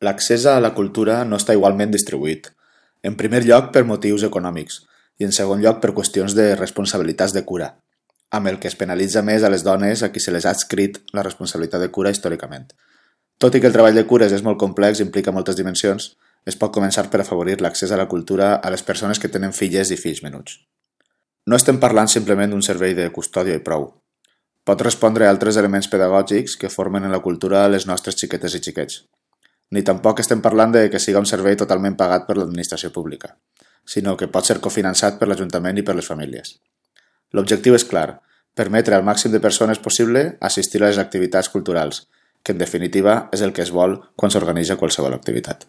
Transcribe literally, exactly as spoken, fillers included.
L'accés a la cultura no està igualment distribuït. En primer lloc per motius econòmics i en segon lloc per qüestions de responsabilitats de cura, amb el que es penalitza més a les dones a qui se les ha adscrit la responsabilitat de cura històricament. Tot i que el treball de cures és molt complex i implica moltes dimensions, es pot començar per afavorir l'accés a la cultura a les persones que tenen filles i fills menuts. No estem parlant simplement d'un servei de custòdia i prou. Pot respondre a altres elements pedagògics que formen en la cultura les nostres xiquetes i xiquets. Ni tampoc estem parlant de que siga un servei totalment pagat per l'administració pública, sinó que pot ser cofinançat per l'Ajuntament i per les famílies. L'objectiu és clar, permetre al màxim de persones possible assistir a les activitats culturals, que en definitiva és el que es vol quan s'organitza qualsevol activitat.